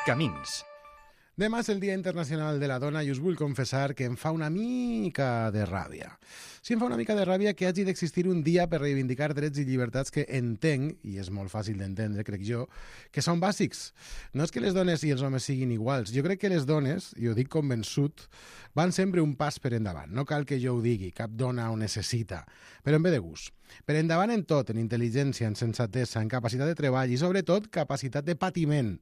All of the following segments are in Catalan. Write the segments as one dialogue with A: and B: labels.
A: Camins.
B: Demà és el Dia Internacional de la Dona i us vull confessar que em fa una mica de ràbia. Sí, em fa una mica de ràbia que hagi d'existir un dia per reivindicar drets i llibertats que entenc, i és molt fàcil d'entendre, crec jo, que són bàsics. No és que les dones i els homes siguin iguals. Jo crec que les dones, i ho dic convençut, van sempre un pas per endavant. No cal que jo ho digui, cap dona ho necessita, però en ve de gust. Per endavant en tot, en intel·ligència, en sensatesa, en capacitat de treball i sobretot capacitat de patiment.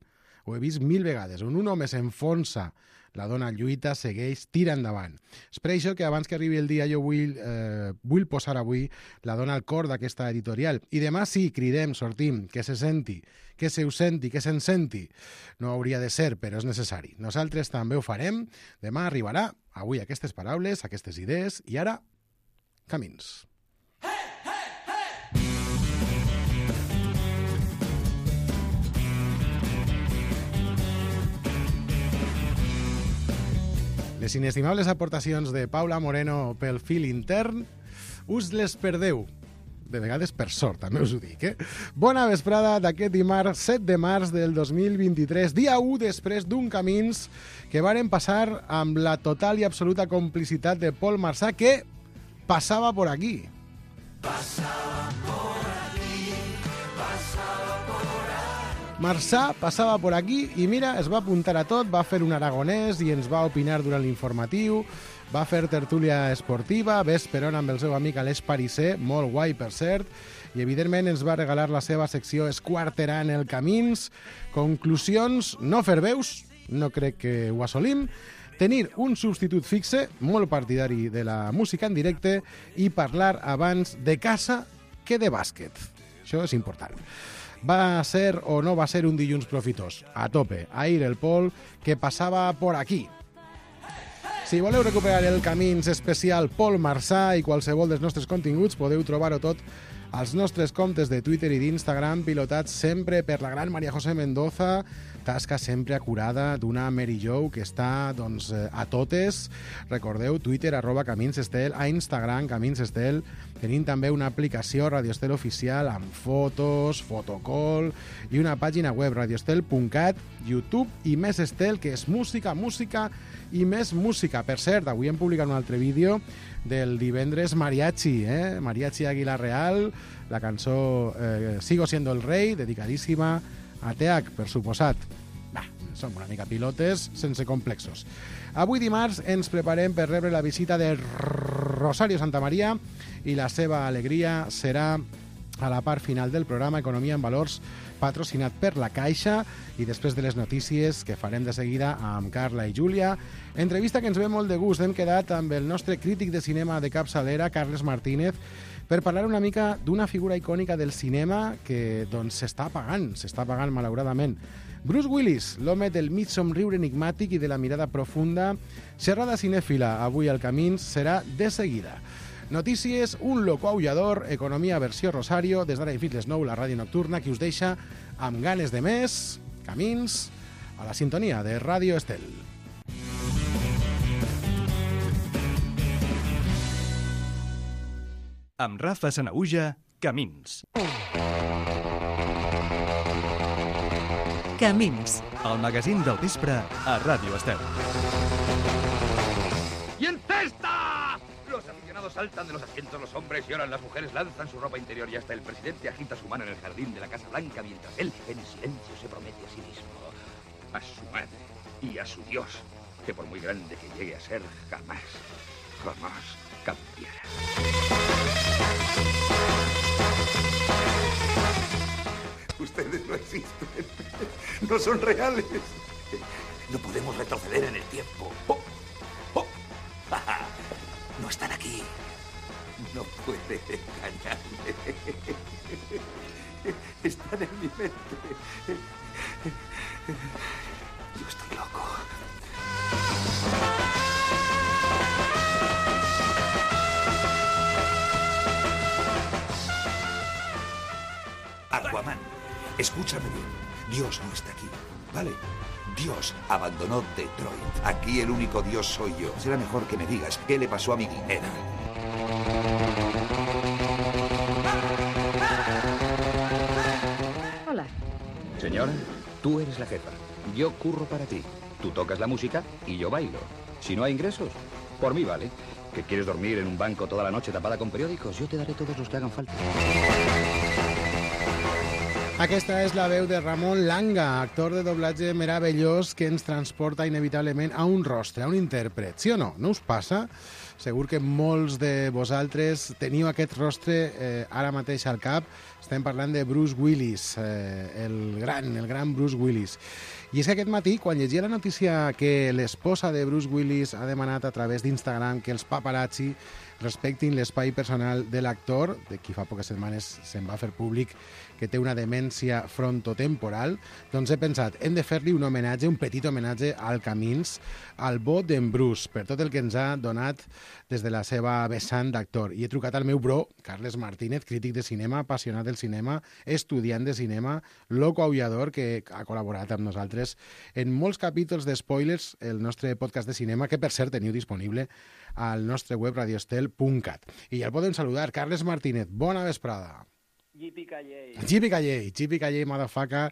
B: Ho he vist 1000 vegades. On un home s'enfonsa, la dona lluita, segueix, tira endavant. És per això que abans que arribi el dia jo vull posar avui la dona al cor d'aquesta editorial. I demà sí, cridem, sortim, que se senti, que se us senti, que se'n senti. No hauria de ser, però és necessari. Nosaltres també ho farem. Demà arribarà, avui aquestes paraules, aquestes idees, i ara, camins. Les inestimables aportacions de Paula Moreno pel fil intern us les perdeu. De vegades per sort, també us ho dic, Bona vesprada d'aquest dimarts 7 de març del 2023, dia 1 després d'un camins que varen passar amb la total i absoluta complicitat de Paul Marsà, que passava por aquí. Marsà passava por aquí i mira, es va apuntar a tot, va fer un aragonès i ens va opinar durant l'informatiu, va fer tertúlia esportiva, vesperon amb el seu amic Aleix Parisser, molt guai per cert, i evidentment ens va regalar la seva secció Esquarterant el Camins. Conclusions, no fer veus, no crec que ho assolim, tenir un substitut fixe, molt partidari de la música en directe, i parlar abans de casa que de bàsquet. Això és important. Va ser o no va ser un dilluns profitós? A tope, ahir el Pol, que passava por aquí. Si voleu recuperar el Camins especial Paul Marsà i qualsevol dels nostres continguts, podeu trobar-ho tot als nostres comptes de Twitter i d'Instagram, pilotats sempre per la gran Maria José Mendoza, tasca sempre acurada d'una Mary Jo que està a totes. Recordeu, Twitter, @CaminsEstel, a Instagram, CaminsEstel. Tenim també una aplicació Radio Estel oficial amb fotos, fotocall i una pàgina web, radioestel.cat, YouTube i Més Estel, que és música, música i més música. Per cert, avui hem publicat un altre vídeo del divendres Mariachi, Mariachi Águila Real, la cançó Sigo siendo el rey, dedicadíssima a TH, per suposat. Som una mica pilotes, sense complexos. Avui dimarts ens preparem per rebre la visita de Rosario Santamaría i la seva alegria serà a la part final del programa Economia en Valors, patrocinat per la Caixa, i després de les notícies que farem de seguida amb Carla i Júlia. Entrevista que ens ve molt de gust. Hem quedat amb el nostre crític de cinema de capçalera, Carles Martínez, per parlar una mica d'una figura icònica del cinema que s'està apagant malauradament. Bruce Willis, l'home del mig somriure enigmàtic i de la mirada profunda. Xerrada cinèfila avui al Camins serà de seguida. Notícies, un loco aullador, economia versió Rosario, des d'ara i fins les 9, la ràdio nocturna, que us deixa amb ganes de més. Camins, a la sintonia de Ràdio Estel.
A: Amb Rafa Sanaüja, Camins.
C: Camins.
A: El magazín del vespre a Ràdio Estel.
D: ¡Y en cesta! Los aficionados saltan de los asientos, los hombres lloran, las mujeres lanzan su ropa interior y hasta el presidente agita su mano en el jardín de la Casa Blanca mientras él, en silencio, se promete a sí mismo, a su madre y a su Dios, que por muy grande que llegue a ser, jamás cambiará. Ustedes no existen, no son reales. No podemos retroceder en el tiempo. No están aquí. No puede engañarme. Están en mi mente. Yo estoy loco. Aquaman, escúchame bien. Dios no está aquí, ¿vale? Dios abandonó Detroit. Aquí el único Dios soy yo. Será mejor que me digas qué le pasó a mi guinera.
E: Hola.
D: Señora, Tú eres la jefa. Yo curro para ti. Tú tocas la música y yo bailo. Si no hay ingresos, por mí vale. ¿Que quieres dormir en un banco toda la noche tapada con periódicos? Yo te daré todos los que hagan falta.
B: Aquesta és la veu de Ramon Langa, actor de doblatge meravellós que ens transporta inevitablement a un rostre, a un intèrpret. Sí o no? No us passa? Segur que molts de vosaltres teniu aquest rostre ara mateix al cap. Estem parlant de Bruce Willis, el gran Bruce Willis. I és que aquest matí, quan llegia la notícia que l'esposa de Bruce Willis ha demanat a través d'Instagram que els paparazzi respectin l'espai personal de l'actor, de qui fa poques setmanes se'n va fer públic que té una demència frontotemporal, doncs he pensat, hem de fer-li un homenatge, un petit homenatge al Camins, al bo d'en Bruce, per tot el que ens ha donat des de la seva vessant d'actor. I he trucat al meu bro, Carles Martínez, crític de cinema, apassionat del cinema, estudiant de cinema, loco aullador, que ha col·laborat amb nosaltres en molts capítols de Spoilers, el nostre podcast de cinema, que per cert teniu disponible al nostre web radiostel.cat. I ja el podem saludar. Carles Martínez, bona vesprada. Yippee-ki-yay, motherfucker.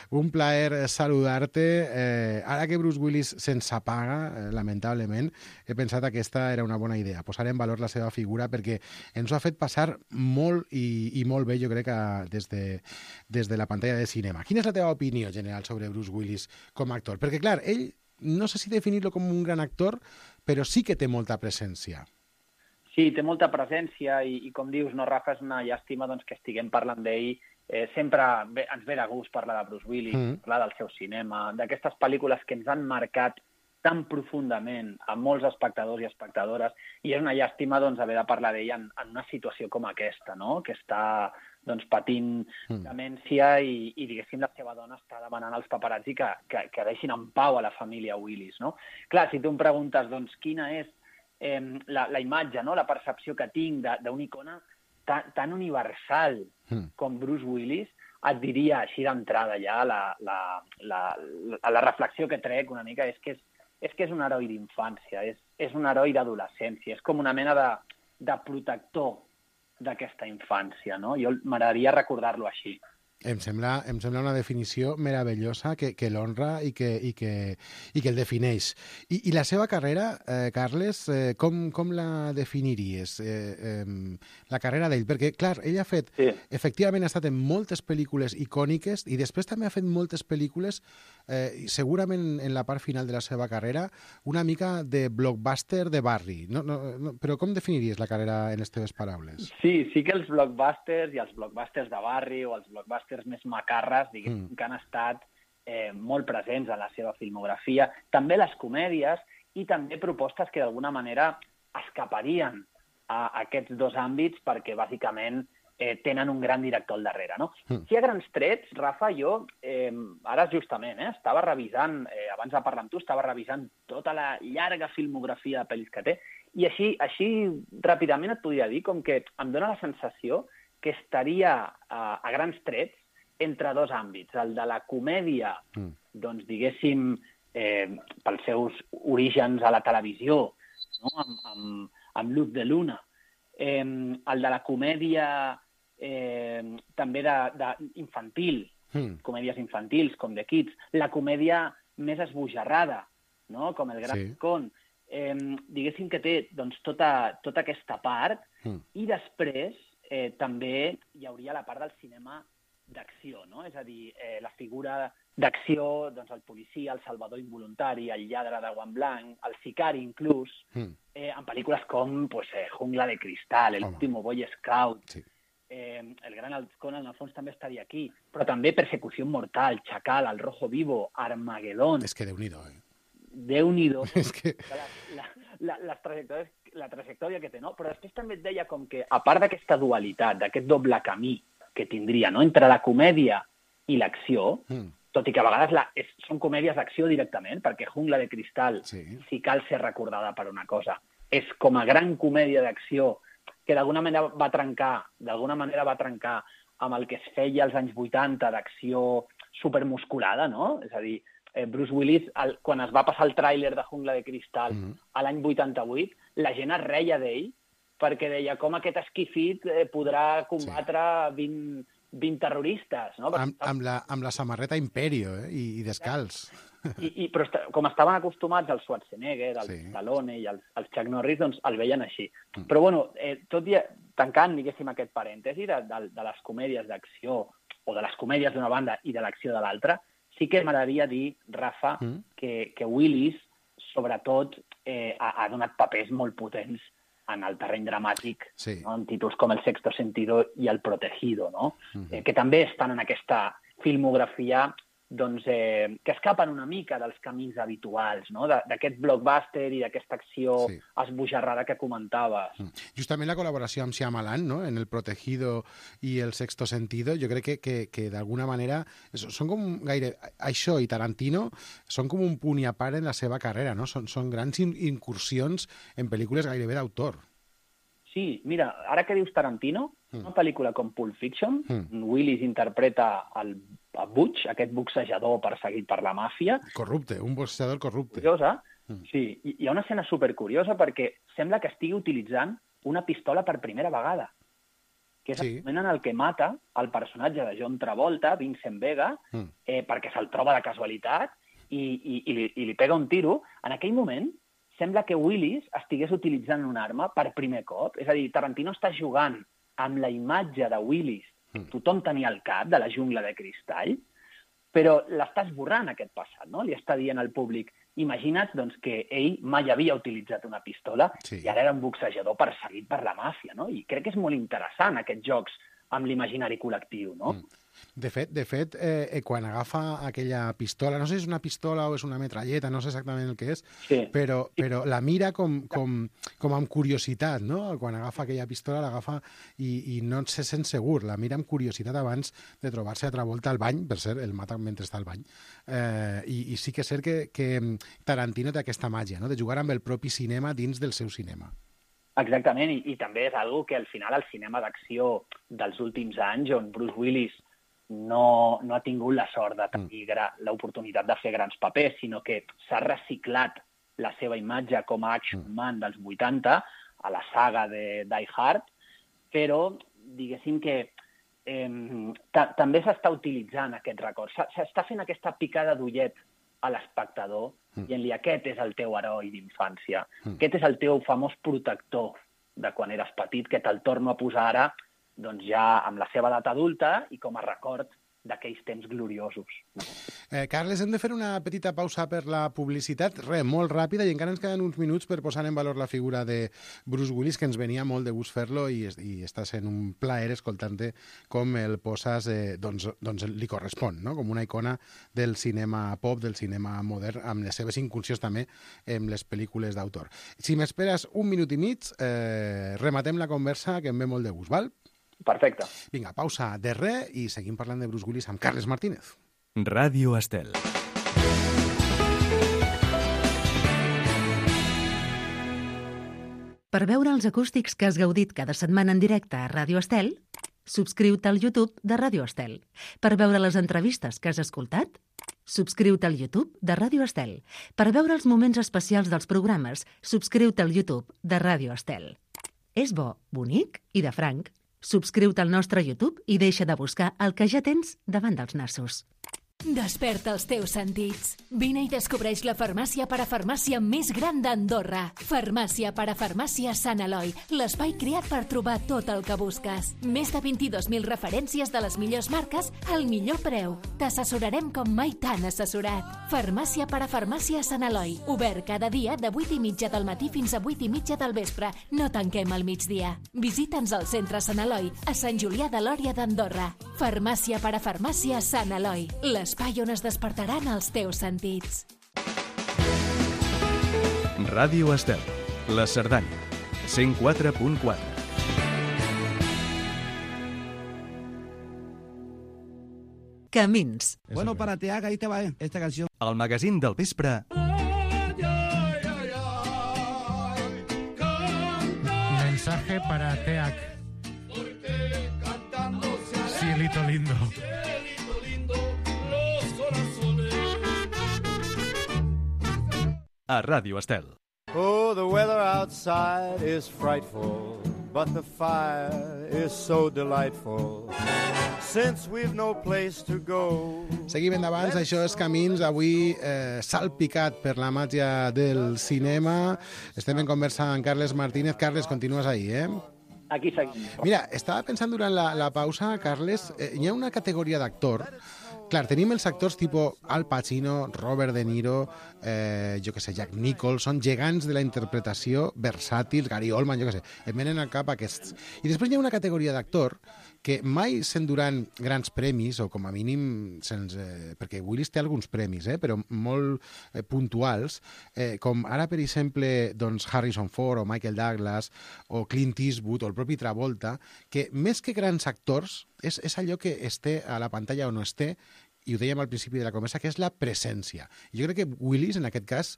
B: Un plaer saludar-te. Ara que Bruce Willis se'ns apaga, lamentablement, he pensat que aquesta era una bona idea, posar en valor la seva figura, perquè ens ho ha fet passar molt i molt bé, jo crec, des de la pantalla de cinema. Quina és la teva opinió general sobre Bruce Willis com a actor? Perquè, clar, ell, no sé si definir-lo com un gran actor, però sí que té molta presència.
C: Sí, té molta presència i com dius, no, Rafa, és una llàstima doncs, que estiguem parlant d'ell. Sempre ens ve de gust parlar de Bruce Willis, parlar del seu cinema, d'aquestes pel·lícules que ens han marcat tan profundament a molts espectadors i espectadores, i és una llàstima doncs, haver de parlar d'ell en una situació com aquesta, no? Que està doncs, patint demència i diguéssim, la seva dona està demanant als paparazzi que deixin en pau a la família Willis, no? Clar, si tu em preguntes doncs, quina és la imatge, no? La percepció que tinc d'una icona tan universal com Bruce Willis, et diria així d'entrada ja la reflexió que trec una mica és que és un heroi d'infància, és un heroi d'adolescència, és com una mena de protector d'aquesta infància, no? Jo m'agradaria recordar-lo així.
B: Em sembla una definició meravellosa que l'honra i que el defineix. I la seva carrera, Carles, com la definiries? La carrera d'ell? Perquè, clar, ell ha fet... Sí. Efectivament ha estat en moltes pel·lícules icòniques i després també ha fet moltes pel·lícules, segurament en la part final de la seva carrera, una mica de blockbuster de barri. No, però com definiries la carrera en les teves paraules?
C: Sí que els blockbusters i els blockbusters de barri o els blockbusters més macarres, diguéssim, que han estat molt presents en la seva filmografia. També les comèdies i també propostes que d'alguna manera escaparien a aquests dos àmbits perquè bàsicament tenen un gran director al darrere, no? Si a grans trets, Rafa, jo ara justament estava revisant, abans de parlar amb tu, estava revisant tota la llarga filmografia de pel·lis que té i així ràpidament et podria dir com que em dóna la sensació que estaria a grans trets entre dos àmbits. El de la comèdia, doncs, diguéssim, pels seus orígens a la televisió, no? amb Luz de Luna. El de la comèdia també infantil, comèdies infantils, com The Kids. La comèdia més esbojarrada, no? Com El Gran Con. Diguéssim que té doncs, tota aquesta part i després també hi hauria la part del cinema d'acció, no? És a dir, la figura d'acció, doncs el policia, el salvador involuntari, el lladre de guant blanc, el sicari inclús, en pel·lícules com Jungla de Cristal, El último Boy Scout, El Gran Halcón, en el fons també estaria aquí, però també Persecució Mortal, Chacal, El Rojo Vivo, Armagedón...
B: És que Déu-n'hi-do,
C: Déu-n'hi-do. És que... La trajectòria que té, no? Però després també et deia com que, a part d'aquesta dualitat, d'aquest doble camí que tindria, no?, entre la comèdia i l'acció, tot i que a vegades són comèdies d'acció directament, perquè Jungla de Cristal, si cal ser recordada per una cosa, és com a gran comèdia d'acció que d'alguna manera va trencar amb el que es feia als anys 80 d'acció supermusculada, no? És a dir, Bruce Willis, quan es va passar el tràiler de Jungla de Cristal a l'any 88, la gent es reia d'ell perquè deia com aquest esquifit podrà combatre 20 terroristes, no?
B: Amb la samarreta Imperio, i descalç.
C: Però com estaven acostumats al Schwarzenegger, al Stallone i als Chuck Norris, doncs el veien així. Però, bueno, tot i tancant, diguéssim, aquest parèntesi de les comèdies d'acció, o de les comèdies d'una banda i de l'acció de l'altra, sí que m'agradaria dir, Rafa, que Willis, sobretot, ha donat papers molt potents en el terreny dramàtic, no? En títols com El sexto sentido i El protegido, no? Que també estan en aquesta filmografia doncs, que escapen una mica dels camins habituals, no? D'aquest blockbuster i d'aquesta acció esbojarrada que comentaves.
B: Justament la col·laboració amb Shyamalan, no? En El protegido i El sexto sentido, jo crec que d'alguna manera són com gaire... Això i Tarantino són com un punt i a part en la seva carrera, no? Són grans incursions en pel·lícules gairebé d'autor.
C: Sí, mira, ara que dius Tarantino, una pel·lícula com Pulp Fiction, Willis interpreta a Butch, aquest boxejador perseguit per la màfia.
B: Corrupte, un boxejador corrupte.
C: Curiosa. Sí, hi ha una escena supercuriosa perquè sembla que estigui utilitzant una pistola per primera vegada, que és el moment en el que mata el personatge de John Travolta, Vincent Vega, perquè se'l troba de casualitat i li pega un tiro. En aquell moment sembla que Willis estigués utilitzant una arma per primer cop. És a dir, Tarantino està jugant amb la imatge de Willis que tothom tenia al cap, de la jungla de cristall, però l'està esborrant aquest passat, no? Li està dient al públic, imagina't doncs, que ell mai havia utilitzat una pistola i ara era un boxejador perseguit per la màfia, no? I crec que és molt interessant aquests jocs amb l'imaginari col·lectiu, no?
B: De fet, quan agafa aquella pistola, no sé si és una pistola o és una metralleta, no sé exactament el que és, però la mira com amb curiositat, no? Quan agafa aquella pistola, l'agafa i no se sent segur, la mira amb curiositat abans de trobar-se a Travolta al bany, per cert, el mata mentre està al bany. I sí que és cert que Tarantino té aquesta màgia, no? De jugar amb el propi cinema dins del seu cinema.
C: Exactament, i també és algo que al final el cinema d'acció dels últims anys, on Bruce Willis no ha tingut la sort de tenir l'oportunitat de fer grans papers, sinó que s'ha reciclat la seva imatge com a action man dels 80 a la saga de Die Hard, però diguéssim que també s'està utilitzant aquest record. S'està fent aquesta picada d'ullet a l'espectador dient-li aquest és el teu heroi d'infància, aquest és el teu famós protector de quan eres petit, que te'l torno a posar ara doncs ja amb la seva edat adulta i com a record d'aquells temps gloriosos.
B: Carles, hem de fer una petita pausa per la publicitat, molt ràpida, i encara ens queden uns minuts per posar en valor la figura de Bruce Willis, que ens venia molt de gust fer-lo i està sent un plaer escoltant-te com el poses, doncs li correspon, no? Com una icona del cinema pop, del cinema modern, amb les seves incursions també en les pel·lícules d'autor. Si m'esperes un minut i mig, rematem la conversa, que em ve molt de gust, val?
C: Perfecte.
B: Vinga, pausa de res i seguim parlant de Bruce Willis amb Carles Martínez.
A: Ràdio Estel.
E: Per veure els acústics que has gaudit cada setmana en directe a Ràdio Estel, subscriu-te al YouTube de Ràdio Estel. Per veure les entrevistes que has escoltat, subscriu-te al YouTube de Ràdio Estel. Per veure els moments especials dels programes, subscriu-te al YouTube de Ràdio Estel. És bo, bonic i de franc. Subscriu-te al nostre YouTube i deixa de buscar el que ja tens davant dels nassos.
F: Desperta els teus sentits. Vine i descobreix la farmàcia parafarmàcia més gran d'Andorra. Farmàcia parafarmàcia Sant Eloi, l'espai creat per trobar tot el que busques. Més de 22.000 referències de les millors marques al millor preu. T'assessorarem com mai t'han assessorat. Farmàcia parafarmàcia Sant Eloi, obert cada dia de 8:30 del matí fins a 8:30 del vespre. No tanquem al migdia. Visita'ns al centre Sant Eloi, a Sant Julià de Lòria d'Andorra. Farmàcia parafarmàcia Sant Eloi, l'espai on es despertaran els teus sentits.
A: Ràdio Estel, la Cerdanya, 104.4.
E: Camins.
G: Bueno, para Teac, ahí te va esta canción.
A: El magazín del vespre.
B: Mensaje para Teac. Cielito lindo.
A: A Ràdio Estel.
H: Oh, the weather outside is frightful, but the fire is so delightful. since we've no place to go.
B: Seguim endavant, això és Camins, avui salpicat per la màgia del cinema. Estem en conversa amb Carles Martínez. Carles, continues ahí, eh?
C: Aquí seguim.
B: Mira, estava pensant durant la pausa, Carles, hi ha una categoria d'actor. Clar, tenim els actors tipus Al Pacino, Robert De Niro, jo que sé, Jack Nicholson, gegants de la interpretació, versàtils, Gary Oldman, jo que sé, em venen al cap aquests. I després hi ha una categoria d'actor que mai s'enduran grans premis, o com a mínim, perquè Willis té alguns premis, però molt puntuals, com ara, per exemple, doncs Harrison Ford o Michael Douglas o Clint Eastwood o el propi Travolta, que més que grans actors és allò que esté a la pantalla o no esté, i ho dèiem al principi de la conversa, que és la presència. I jo crec que Willis, en aquest cas,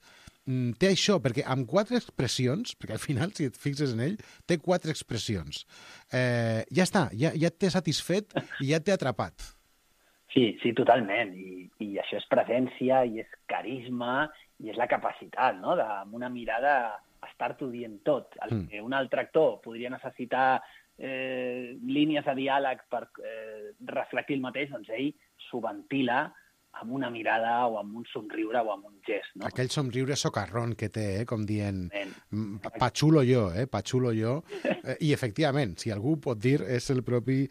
B: té això, perquè amb 4 expressions, perquè al final, si et fixes en ell, té 4 expressions. Ja està, ja et té satisfet i ja et té atrapat.
C: Sí, totalment. I això és presència, i és carisma, i és la capacitat, no?, amb una mirada estar-t'ho dient tot. El que un altre actor podria necessitar línies de diàleg per reflectir el mateix, doncs ell s'ho ventila amb una mirada o amb un somriure o amb un gest, no?
B: Aquell somriure socarrón que té, com dient, pachulo jo, pachulo jo. I, efectivament, si algú pot dir, és el propi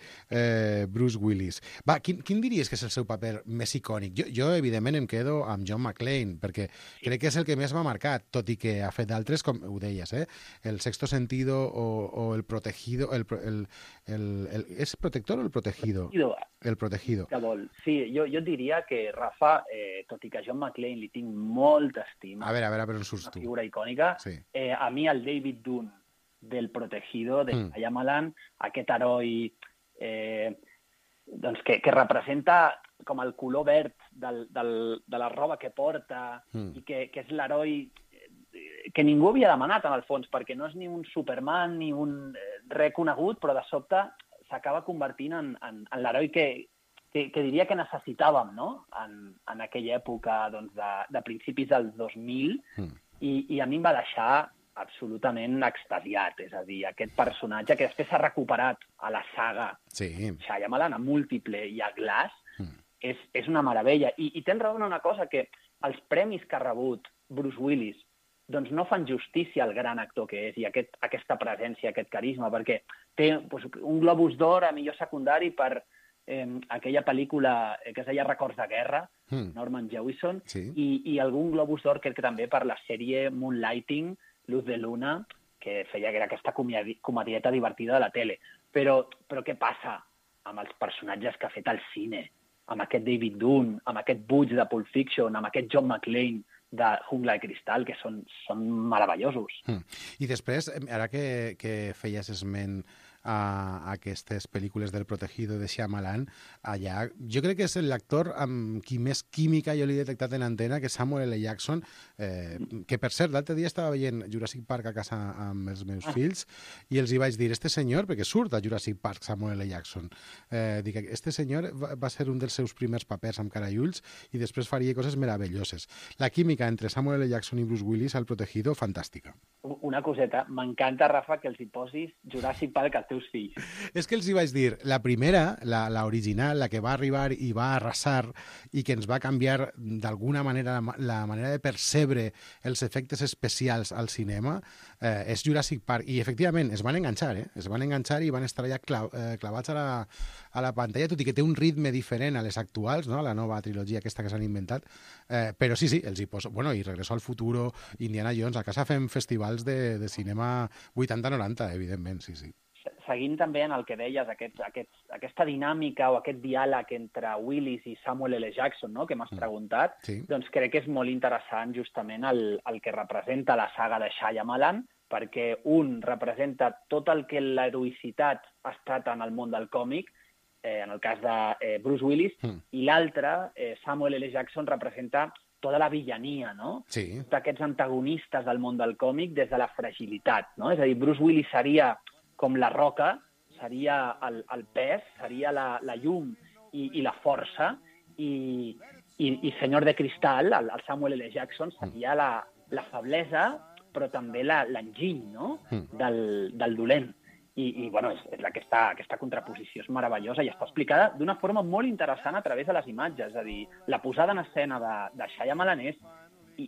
B: Bruce Willis. Va, quin diries que és el seu paper més icònic? Jo evidentment, em quedo amb John McClane, perquè crec que és el que més m'ha marcat, tot i que ha fet d'altres, com ho deies, El Sexto Sentido o El Protegido. ¿Es protector o El Protegido? El Protegido.
C: Sí, jo diria que, Rafa, tot i que a John McClane li tinc molta estima...
B: A veure, per on surts tu?
C: Una figura icònica. Sí. A mi el David Dunn del Protegido, de Shyamalan, aquest heroi doncs que representa com el color verd de la roba que porta i que és l'heroi que ningú havia demanat, en el fons, perquè no és ni un Superman ni un reconegut, però de sobte s'acaba convertint en l'heroi que diria que necessitàvem, no?, en aquella època doncs, de principis dels 2000, i a mi em va deixar absolutament extasiat. És a dir, aquest personatge que després s'ha recuperat a la saga Shyamalan, a Múltiple i a Glass, és una meravella. I tens raó en una cosa, que els premis que ha rebut Bruce Willis doncs no fan justícia al gran actor que és i aquesta presència, aquest carisma, perquè té un Globus d'Or a millor secundari per aquella pel·lícula que es deia Records de guerra, Norman Jewison, i algun Globus d'Or crec que també per la sèrie Moonlighting, Luz de Luna, que feia que era aquesta comedieta divertida de la tele. Però què passa amb els personatges que ha fet al cine? Amb aquest David Dunn, amb aquest Butch de Pulp Fiction, amb aquest John McClane de Jungla de Cristal, que són meravellosos.
B: I després, ara que feies esment a aquestes pel·lícules del Protegido de Shyamalan, allà jo crec que és l'actor amb qui més química jo l'he detectat en antena, que és Samuel L. Jackson, que per cert, l'altre dia estava veient Jurassic Park a casa amb els meus fills i els hi vaig dir, este senyor, perquè surt a Jurassic Park Samuel L. Jackson, dic, este senyor va ser un dels seus primers papers amb cara i ulls i després faria coses meravelloses. La química entre Samuel L. Jackson i Bruce Willis al Protegido, fantàstica.
C: Una coseta, m'encanta, Rafa, que els hi posis Jurassic Park als teus fills.
B: És que els hi vaig dir, la primera, la original, la que va arribar i va arrasar i que ens va canviar d'alguna manera la manera de percebre els efectes especials al cinema, és Jurassic Park. I efectivament es van enganxar, es van enganxar i van estar allà clavats a la pantalla, tot i que té un ritme diferent a les actuals, no?, a la nova trilogia aquesta que s'han inventat, però sí, els hi poso... Bueno, i Regreso al Futuro, Indiana Jones, a casa fem festivals de cinema 80-90, evidentment, sí.
C: Seguint també en el que deies, aquesta dinàmica o aquest diàleg entre Willis i Samuel L. Jackson, no?, que m'has preguntat, doncs crec que és molt interessant justament el que representa la saga de Shyamalan, perquè un representa tot el que l'heroïcitat ha estat en el món del còmic, en el cas de Bruce Willis, i l'altre, Samuel L. Jackson, representa tota la villania, no? Tots aquests antagonistes del món del còmic des de la fragilitat, no? És a dir, Bruce Willis seria com la roca, seria el pes, seria la llum i la força, i Senyor de Cristal, el Samuel L. Jackson, seria la feblesa, però també l'enginy, no?, del dolent. I bueno, és aquesta contraposició és meravellosa i està explicada d'una forma molt interessant a través de les imatges. És a dir, la posada en escena de Shyamalan és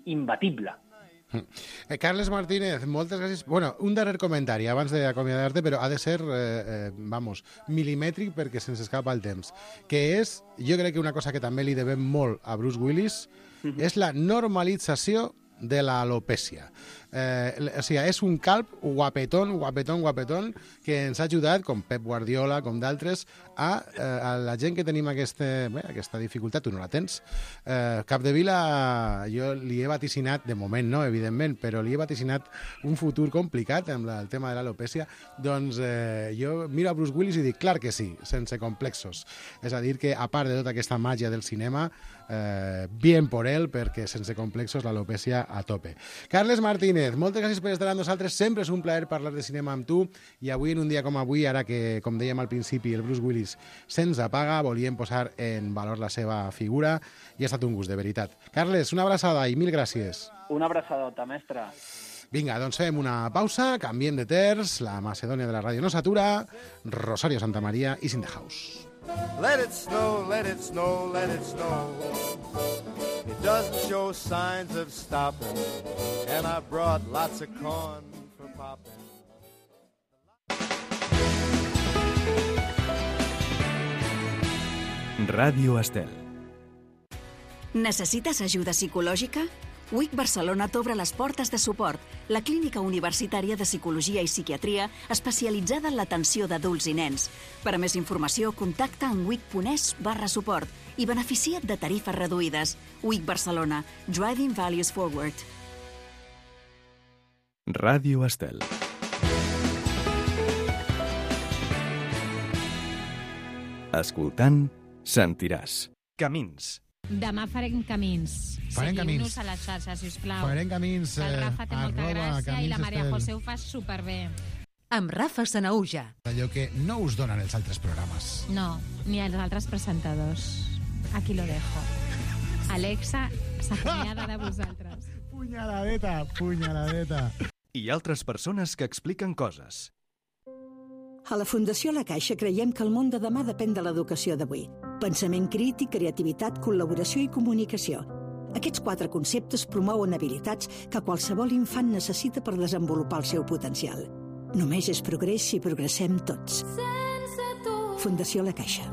C: imbatible.
B: Carles Martínez, moltes gràcies. Bueno, un darrer comentari abans d'acomiadar-te, però ha de ser, milimètric perquè se'ns escapa el temps, que és, jo crec que una cosa que també li devem molt a Bruce Willis és la normalització de l'alopècia. O sigui, és un calb guapetón, que ens ha ajudat, com Pep Guardiola, com d'altres, a la gent que tenim aquesta dificultat. Tu no la tens. Capdevila, jo li he vaticinat, de moment no, evidentment, però li he vaticinat un futur complicat amb el tema de l'alopècia. Doncs jo miro a Bruce Willis i dic, clar que sí, sense complexos. És a dir, que a part de tota aquesta màgia del cinema, bien por él, perquè sense complexos l'alopècia a tope. Carles Martínez, moltes gràcies per estar amb nosaltres. Sempre és un plaer parlar de cinema amb tu, i avui, en un dia com avui, ara que, com dèiem al principi, el Bruce Willis se'ns apaga, volíem posar en valor la seva figura, i ha estat un gust, de veritat. Carles, una abraçada i mil gràcies.
C: Una abraçadota, mestre.
B: Vinga, doncs fem una pausa, canviem de terç, la Macedònia de la ràdio no s'atura, Rosario Santamaría i In the House.
H: Let it snow, let it snow, let it snow. It doesn't show signs of stopping, and I brought lots of corn for popping.
A: Ràdio Estel.
I: Necessites ajuda psicològica? WIC Barcelona t'obre les portes de Suport, la clínica universitària de psicologia i psiquiatria especialitzada en l'atenció d'adults i nens. Per a més informació, contacta en wic.es/suport i beneficia't de tarifes reduïdes. WIC Barcelona, Driving Values Forward.
A: Ràdio Estel. Escoltant, sentiràs. Camins.
J: Demà farem camins.
B: Farem
J: Seguiu-nos
B: camins.
J: a les xarxes, sisplau.
B: Farem camins,
J: El Rafa té molta gràcia i la Maria
B: Estel.
J: José ho fa superbé.
E: Amb Rafa Sanauja.
K: Allò que no us donen els altres programes.
J: No, ni els altres presentadors. Aquí lo dejo. Alexa s'acomiada de vosaltres.
B: Punyaladeta.
A: I altres persones que expliquen coses.
L: A la Fundació La Caixa creiem que el món de demà depèn de l'educació d'avui. Pensament crític, creativitat, col·laboració i comunicació. Aquests 4 conceptes promouen habilitats que qualsevol infant necessita per desenvolupar el seu potencial. Només és progrés si progressem tots. Fundació La Caixa.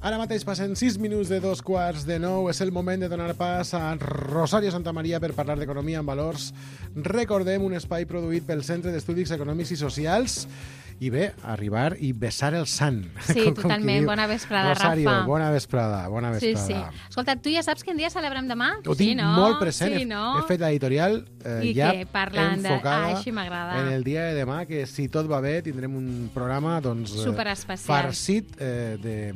B: Ara mateix passen 6 minuts de 8:45. És el moment de donar pas a Rosario Santamaría per parlar d'economia en valors. Recordem, un espai produït pel Centre d'Estudis Econòmics i Socials. I bé, arribar i besar el sant.
J: Sí, totalment. Bona vesprada,
B: Rosario,
J: Rafa.
B: bona vesprada.
J: Sí. Escolta, tu ja saps quin dia celebrem demà?
B: Ho tinc molt present.
J: Sí, no?
B: He fet l'editorial ja enfocada
J: així m'agrada.
B: en el dia de demà, que si tot va bé tindrem un programa
J: superespecial,
B: farcit de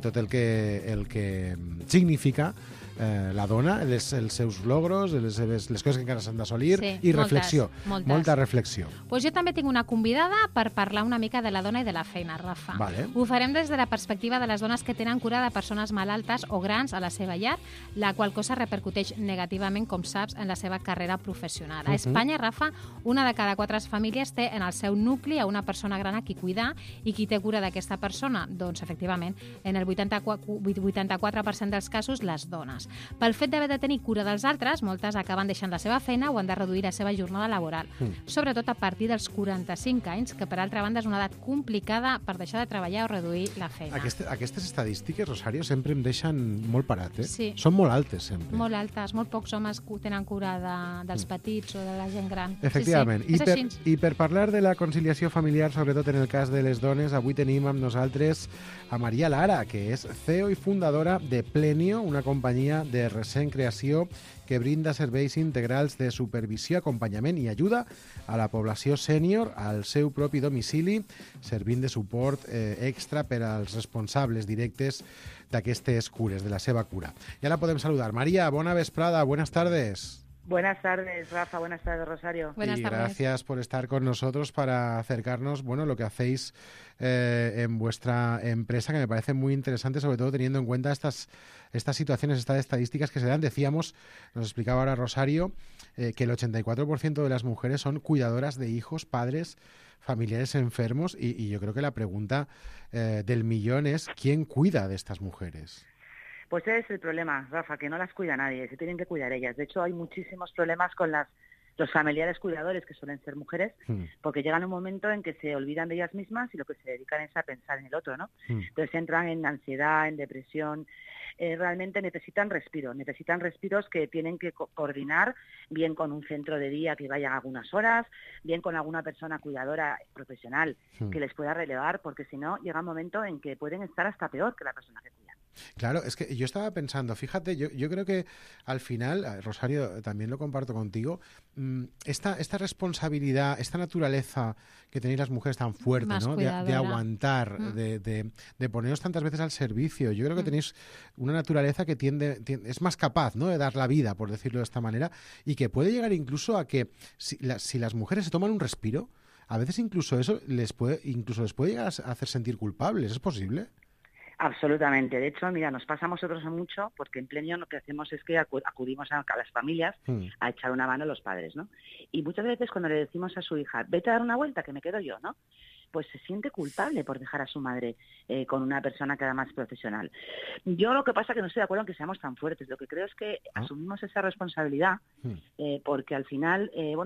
B: tot el que significa la dona, els seus logros, les coses que encara s'han d'assolir, i reflexió, molta reflexió.
J: Pues jo també tinc una convidada per parlar una mica de la dona i de la feina, Rafa.
B: Vale.
J: Ho farem des de la perspectiva de les dones que tenen cura de persones malaltes o grans a la seva llar, la qual cosa repercuteix negativament, com saps, en la seva carrera professional. A Espanya, Rafa, una de cada 4 famílies té en el seu nucli a una persona gran a qui cuidar, i qui té cura d'aquesta persona? Doncs, efectivament, en el 84% dels casos, les dones. Pel fet d'haver de tenir cura dels altres, moltes acaben deixant la seva feina o han de reduir la seva jornada laboral, sobretot a partir dels 45 anys, que per altra banda és una edat complicada per deixar de treballar o reduir la feina.
B: Aquestes estadístiques, Rosario, sempre em deixen molt parat, eh?
J: Sí.
B: Són molt altes, sempre.
J: Molt altes, molt pocs homes tenen cura dels petits o de la gent gran.
B: Efectivament.
J: Sí.
B: I per parlar de la conciliació familiar, sobretot en el cas de les dones, avui tenim amb nosaltres a Maria Lara, que és CEO i fundadora de Plenio, una companyia de recent creació que brinda serveis integrals de supervisió, acompanyament i ajuda a la població sènior al seu propi domicili, servint de suport extra per als responsables directes d'aquestes cures, de la seva cura. Ja la podem saludar. Maria, bona vesprada, buenas tardes.
M: Buenas tardes, Rafa. Buenas tardes, Rosario.
B: Y gracias por estar con nosotros para acercarnos, lo que hacéis en vuestra empresa, que me parece muy interesante, sobre todo teniendo en cuenta estas situaciones, estas estadísticas que se dan. Decíamos, nos explicaba ahora Rosario, que el 84% de las mujeres son cuidadoras de hijos, padres, familiares enfermos, y yo creo que la pregunta del millón es ¿quién cuida de estas mujeres?
M: Pues ese es el problema, Rafa, que no las cuida nadie, se tienen que cuidar ellas. De hecho, hay muchísimos problemas con los familiares cuidadores, que suelen ser mujeres, porque llegan un momento en que se olvidan de ellas mismas y lo que se dedican es a pensar en el otro, ¿no? Entonces entran en ansiedad, en depresión. Realmente necesitan respiros que tienen que coordinar bien con un centro de día que vaya algunas horas, bien con alguna persona cuidadora profesional que les pueda relevar, porque si no llega un momento en que pueden estar hasta peor que la persona que cuida.
B: Claro, es que yo estaba pensando, fíjate, yo creo que al final, Rosario, también lo comparto contigo, esta responsabilidad, esta naturaleza que tenéis las mujeres tan fuerte, ¿no? De aguantar, de poneros tantas veces al servicio. Yo creo que tenéis una naturaleza que es más capaz, ¿no?, de dar la vida, por decirlo de esta manera, y que puede llegar incluso a que si las mujeres se toman un respiro, a veces incluso eso les puede llegar a hacer sentir culpables. ¿Es posible?
M: Absolutamente. De hecho, mira, nos pasa a nosotros mucho porque en Plenio lo que hacemos es que acudimos a las familias a echar una mano a los padres, ¿no? Y muchas veces cuando le decimos a su hija, vete a dar una vuelta que me quedo yo, ¿no?, pues se siente culpable por dejar a su madre con una persona que además es profesional. Yo lo que pasa es que no estoy de acuerdo en que seamos tan fuertes. Lo que creo es que asumimos esa responsabilidad porque al final, yo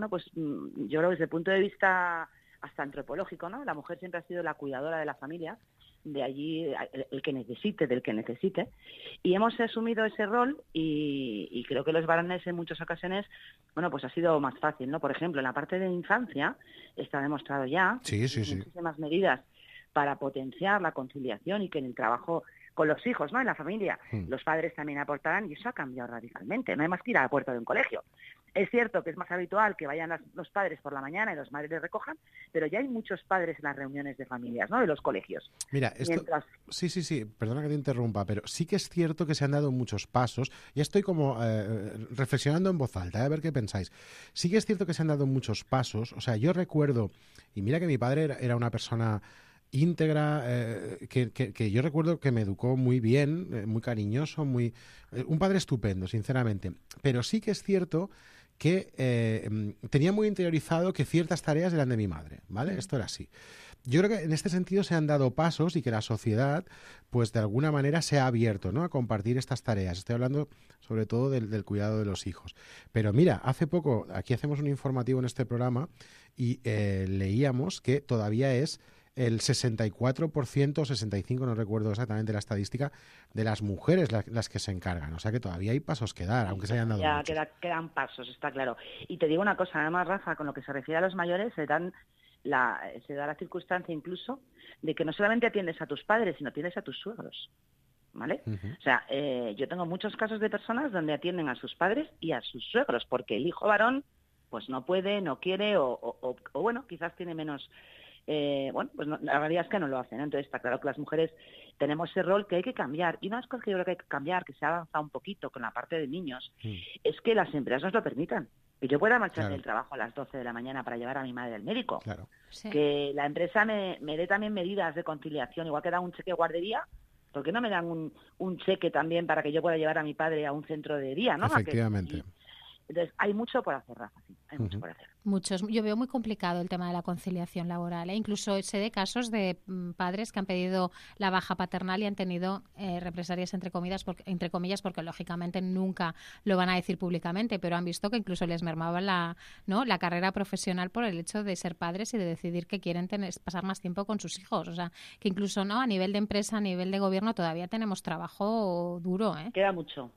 M: creo que desde el punto de vista hasta antropológico, ¿no?, la mujer siempre ha sido la cuidadora de la familia, de allí del que necesite, y hemos asumido ese rol y creo que los varones en muchas ocasiones, pues ha sido más fácil, ¿no? Por ejemplo, en la parte de infancia está demostrado ya muchísimas medidas para potenciar la conciliación y que en el trabajo con los hijos, ¿no?, en la familia, los padres también aportarán, y eso ha cambiado radicalmente. No hay más que ir a la puerta de un colegio. Es cierto que es más habitual que vayan los padres por la mañana y los madres les recojan, pero ya hay muchos padres en las reuniones de familias, ¿no?, de los colegios.
B: Mira, Sí, perdona que te interrumpa, pero sí que es cierto que se han dado muchos pasos. Ya estoy como reflexionando en voz alta, a ver qué pensáis. Sí que es cierto que se han dado muchos pasos. O sea, yo recuerdo, y mira que mi padre era una persona íntegra, que yo recuerdo que me educó muy bien, muy cariñoso, un padre estupendo, sinceramente. Pero sí que es cierto que tenía muy interiorizado que ciertas tareas eran de mi madre, ¿vale? Esto era así. Yo creo que en este sentido se han dado pasos y que la sociedad, pues de alguna manera se ha abierto, ¿no?, a compartir estas tareas. Estoy hablando sobre todo del cuidado de los hijos. Pero mira, hace poco, aquí hacemos un informativo en este programa y leíamos que todavía es el 64% o 65%, no recuerdo exactamente la estadística, de las mujeres las que se encargan. O sea que todavía hay pasos que dar, aunque se hayan dado muchos.
M: Quedan pasos, está claro. Y te digo una cosa, además, Rafa, con lo que se refiere a los mayores, se da la circunstancia incluso de que no solamente atiendes a tus padres, sino atiendes a tus suegros, ¿vale? O sea, yo tengo muchos casos de personas donde atienden a sus padres y a sus suegros, porque el hijo varón pues no puede, no quiere o bueno, quizás tiene menos... pues no, la realidad es que no lo hacen, ¿no? Entonces está claro que las mujeres tenemos ese rol que hay que cambiar, y una de las cosas que yo creo que hay que cambiar, que se ha avanzado un poquito con la parte de niños, es que las empresas nos lo permitan, que yo pueda marchar del trabajo a las 12 de la mañana para llevar a mi madre al médico, que la empresa me dé también medidas de conciliación, igual que da un cheque guardería, ¿por qué no me dan un cheque también para que yo pueda llevar a mi padre a un centro de día, ¿no?
B: Efectivamente.
M: Entonces, hay mucho por hacer, Rafa, sí, hay mucho por hacer.
J: Yo veo muy complicado el tema de la conciliación laboral. Incluso sé de casos de padres que han pedido la baja paternal y han tenido represalias entre comillas, porque lógicamente nunca lo van a decir públicamente, pero han visto que incluso les mermaba la carrera profesional por el hecho de ser padres y de decidir que quieren pasar más tiempo con sus hijos. O sea, que incluso a nivel de empresa, a nivel de gobierno, todavía tenemos trabajo duro, ¿eh?
M: Queda mucho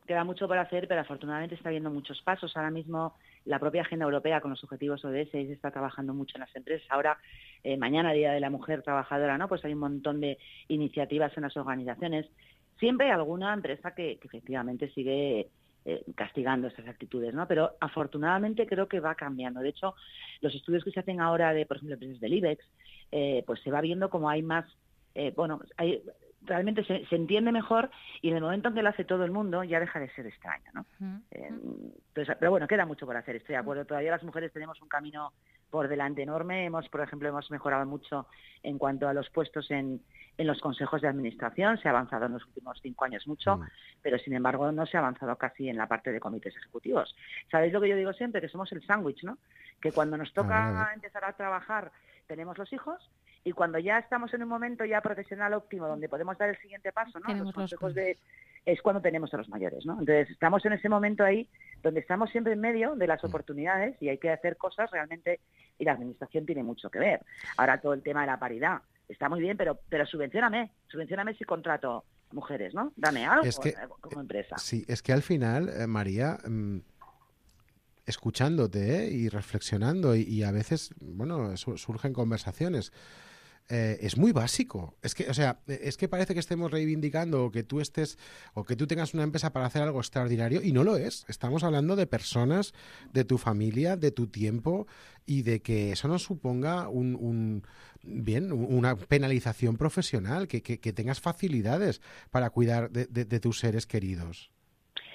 M: por hacer, pero afortunadamente está habiendo muchos pasos. Ahora mismo la propia agenda europea con los objetivos ODS está trabajando mucho en las empresas. Ahora, mañana, Día de la Mujer Trabajadora, ¿no? Pues hay un montón de iniciativas en las organizaciones. Siempre hay alguna empresa que efectivamente sigue castigando estas actitudes, ¿no? Pero afortunadamente creo que va cambiando. De hecho, los estudios que se hacen ahora de, por ejemplo, empresas del IBEX, pues se va viendo como hay más, realmente se entiende mejor, y en el momento en que lo hace todo el mundo ya deja de ser extraño, ¿no? Pero bueno, queda mucho por hacer, estoy de acuerdo. Todavía las mujeres tenemos un camino por delante enorme. Por ejemplo, hemos mejorado mucho en cuanto a los puestos en los consejos de administración. Se ha avanzado en los últimos 5 años mucho, pero sin embargo no se ha avanzado casi en la parte de comités ejecutivos. ¿Sabéis lo que yo digo siempre? Que somos el sándwich, ¿no? Que cuando nos toca empezar a trabajar tenemos los hijos, y cuando ya estamos en un momento ya profesional óptimo donde podemos dar el siguiente paso, ¿no? Los consejos es cuando tenemos a los mayores, ¿no? Entonces estamos en ese momento ahí donde estamos siempre en medio de las oportunidades y hay que hacer cosas realmente, y la administración tiene mucho que ver. Ahora todo el tema de la paridad está muy bien, pero subvencióname si contrato mujeres, ¿no? Dame algo como empresa.
B: Sí, es que al final, María, escuchándote y reflexionando y a veces, bueno, surgen conversaciones. Es muy básico. Es que parece que estemos reivindicando o que tú tengas una empresa para hacer algo extraordinario, y no lo es. Estamos hablando de personas, de tu familia, de tu tiempo, y de que eso no suponga una penalización profesional, que tengas facilidades para cuidar de tus seres queridos.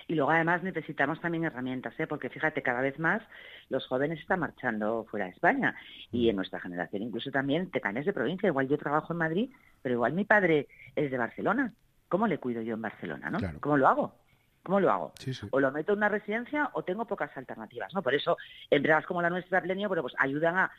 M: Y luego además necesitamos también herramientas, porque fíjate, cada vez más los jóvenes están marchando fuera de España, y en nuestra generación incluso también te cambias de provincia. Igual yo trabajo en Madrid, pero igual mi padre es de Barcelona. ¿Cómo le cuido yo en Barcelona, no? Claro. ¿Cómo lo hago? Sí. O lo meto en una residencia o tengo pocas alternativas, ¿no? Por eso empresas como la nuestra, Plenio, pues ayudan a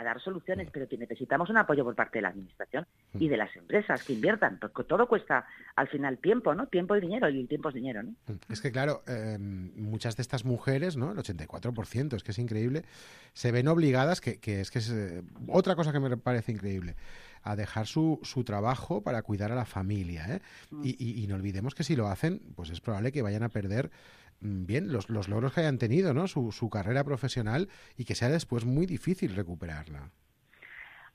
M: dar soluciones, pero necesitamos un apoyo por parte de la administración y de las empresas que inviertan, porque todo cuesta al final tiempo, ¿no? Tiempo y dinero, y el tiempo es dinero, ¿no?
B: Es que claro, muchas de estas mujeres, ¿no? El 84%, es que es increíble, se ven obligadas, que es otra cosa que me parece increíble, a dejar su trabajo para cuidar a la familia, ¿eh? Y no olvidemos que si lo hacen, pues es probable que vayan a perder los logros que hayan tenido, ¿no? Su carrera profesional, y que sea después muy difícil recuperarla.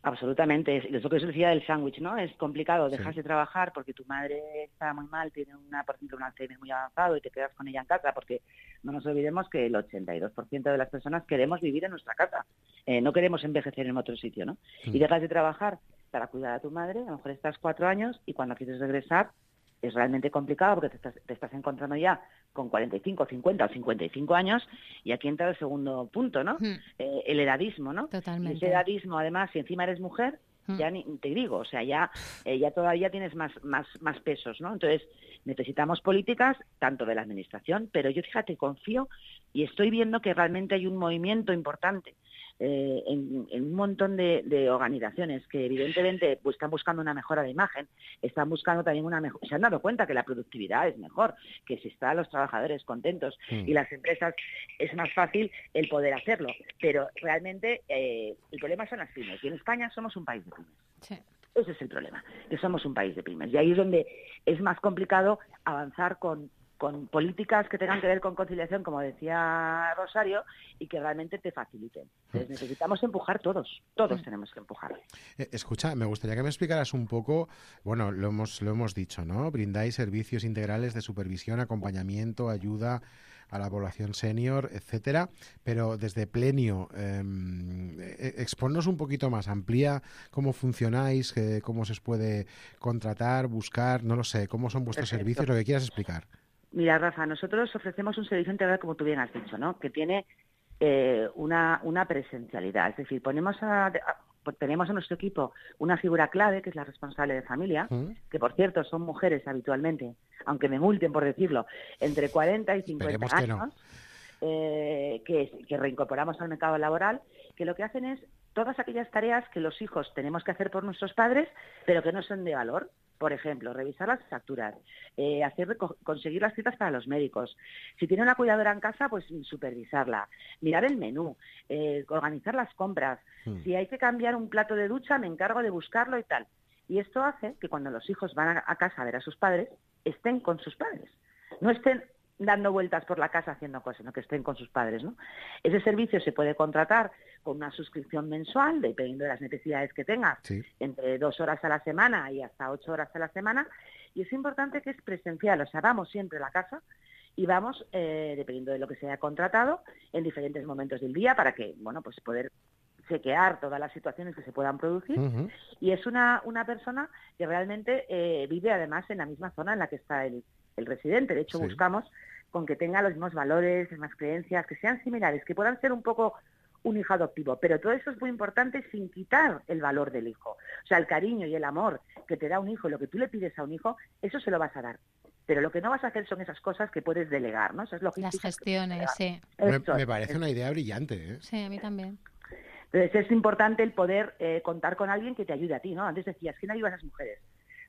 M: Absolutamente, es lo que os decía del sándwich, ¿no? Es complicado, dejas de trabajar porque tu madre está muy mal, tiene por ejemplo, un Alzheimer muy avanzado, y te quedas con ella en casa, porque no nos olvidemos que el 82% de las personas queremos vivir en nuestra casa, no queremos envejecer en otro sitio, ¿no? Y dejas de trabajar para cuidar a tu madre, a lo mejor estás 4 años, y cuando quieres regresar es realmente complicado porque te estás encontrando ya con 45, 50 o 55 años, y aquí entra el segundo punto, ¿no? El edadismo, ¿no?
J: Totalmente.
M: Y ese edadismo, además, si encima eres mujer, ya ni te digo, o sea, ya todavía tienes más pesos, ¿no? Entonces, necesitamos políticas tanto de la administración, pero yo, fíjate, confío y estoy viendo que realmente hay un movimiento importante en un montón de organizaciones que evidentemente pues, están buscando una mejora de imagen, están buscando también una mejor, se han dado cuenta que la productividad es mejor, que si están los trabajadores contentos y las empresas, es más fácil el poder hacerlo, pero realmente el problema son las pymes, y en España somos un país de pymes.
J: Sí.
M: Ese es el problema, que somos un país de pymes, y ahí es donde es más complicado avanzar con políticas que tengan que ver con conciliación, como decía Rosario, y que realmente te faciliten. Entonces necesitamos empujar todos tenemos que empujar.
B: Escucha, me gustaría que me explicaras un poco, bueno, lo hemos dicho, ¿no? Brindáis servicios integrales de supervisión, acompañamiento, ayuda a la población senior, etcétera, pero desde Plenio, exponnos un poquito más, amplía cómo funcionáis, cómo se os puede contratar, buscar, no lo sé, cómo son vuestros servicios, lo que quieras explicar.
M: Mira, Rafa, nosotros ofrecemos un servicio integral, como tú bien has dicho, ¿no? Que tiene una presencialidad. Es decir, tenemos en nuestro equipo una figura clave, que es la responsable de familia, que por cierto son mujeres habitualmente, aunque me multen por decirlo, entre 40 y 50 años, que reincorporamos al mercado laboral, que lo que hacen es todas aquellas tareas que los hijos tenemos que hacer por nuestros padres, pero que no son de valor. Por ejemplo, revisar las facturas, conseguir las citas para los médicos. Si tiene una cuidadora en casa, pues supervisarla, mirar el menú, organizar las compras. Si hay que cambiar un plato de ducha, me encargo de buscarlo y tal. Y esto hace que cuando los hijos van a casa a ver a sus padres, estén con sus padres. No estén dando vueltas por la casa haciendo cosas, sino que estén con sus padres, ¿no? Ese servicio se puede contratar con una suscripción mensual, dependiendo de las necesidades que tengas, entre 2 horas a la semana y hasta 8 horas a la semana, y es importante que es presencial, o sea, vamos siempre a la casa y vamos, dependiendo de lo que se haya contratado, en diferentes momentos del día para que, bueno, pues poder chequear todas las situaciones que se puedan producir, y es una persona que realmente vive además en la misma zona en la que está el residente. De hecho, buscamos con que tenga los mismos valores, las mismas creencias, que sean similares, que puedan ser un poco un hijo adoptivo, pero todo eso es muy importante sin quitar el valor del hijo. O sea, el cariño y el amor que te da un hijo, lo que tú le pides a un hijo, eso se lo vas a dar. Pero lo que no vas a hacer son esas cosas que puedes delegar, ¿no? Esas logísticas.
J: Las gestiones, sí.
B: Me parece una idea brillante, ¿eh?
J: Sí, a mí también.
M: Entonces es importante el poder contar con alguien que te ayude a ti, ¿no? Antes decías, ¿quién ayuda a las mujeres?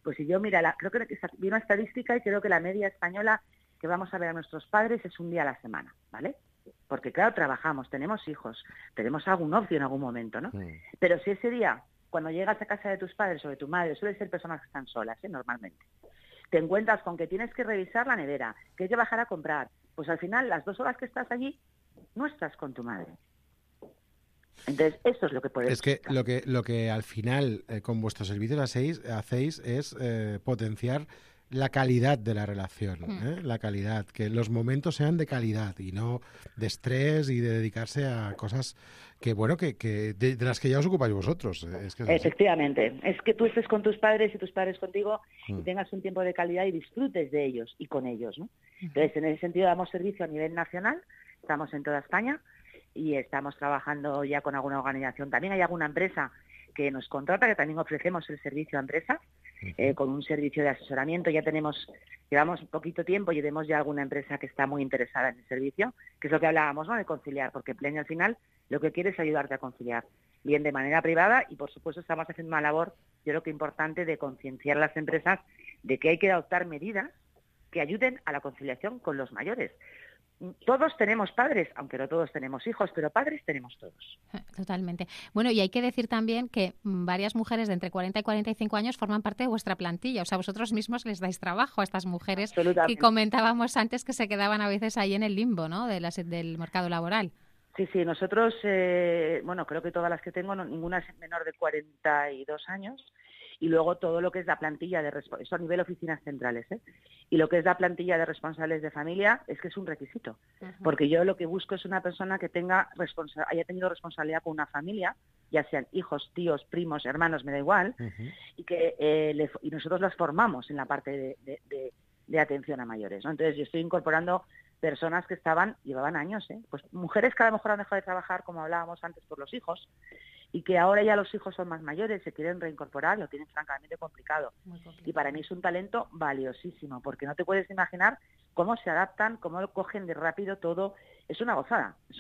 M: Pues si yo, mira, creo que vi una estadística y creo que la media española que vamos a ver a nuestros padres es un día a la semana, ¿vale? Porque claro, trabajamos, tenemos hijos, tenemos algún ocio en algún momento, ¿no? Pero si ese día, cuando llegas a casa de tus padres o de tu madre, suelen ser personas que están solas, normalmente, te encuentras con que tienes que revisar la nevera, que hay que bajar a comprar, pues al final las 2 horas que estás allí no estás con tu madre. Entonces, esto es lo que podemos...
B: Es que lo que al final con vuestros servicios hacéis es potenciar la calidad de la relación, la calidad, que los momentos sean de calidad y no de estrés y de dedicarse a cosas que, bueno, que de las que ya os ocupáis vosotros.
M: Efectivamente, es que tú estés con tus padres y tus padres contigo y tengas un tiempo de calidad y disfrutes de ellos y con ellos, ¿no? Entonces, en ese sentido damos servicio a nivel nacional, estamos en toda España y estamos trabajando ya con alguna organización. También hay alguna empresa que nos contrata, que también ofrecemos el servicio a empresas, con un servicio de asesoramiento. Llevamos poquito tiempo y vemos ya alguna empresa que está muy interesada en el servicio, que es lo que hablábamos, ¿no?, de conciliar, porque Plenio al final lo que quiere es ayudarte a conciliar, bien de manera privada, y por supuesto estamos haciendo una labor, yo creo que importante, de concienciar a las empresas de que hay que adoptar medidas que ayuden a la conciliación con los mayores. Todos tenemos padres, aunque no todos tenemos hijos, pero padres tenemos todos.
J: Totalmente. Bueno, y hay que decir también que varias mujeres de entre 40 y 45 años forman parte de vuestra plantilla. O sea, vosotros mismos les dais trabajo a estas mujeres que comentábamos antes que se quedaban a veces ahí en el limbo, ¿no?, del mercado laboral.
M: Sí, nosotros, creo que todas las que tengo, ninguna es menor de 42 años. Y luego todo lo que es la plantilla eso a nivel oficinas centrales, y lo que es la plantilla de responsables de familia es que es un requisito, porque yo lo que busco es una persona que haya tenido responsabilidad con una familia, ya sean hijos, tíos, primos, hermanos, me da igual, y que y nosotros las formamos en la parte de atención a mayores, ¿no? Entonces yo estoy incorporando personas que llevaban años, pues mujeres que a lo mejor han dejado de trabajar, como hablábamos antes, por los hijos, y que ahora ya los hijos son más mayores, se quieren reincorporar, lo tienen francamente complicado. Y para mí es un talento valiosísimo, porque no te puedes imaginar cómo se adaptan, cómo lo cogen de rápido todo. Es una gozada. O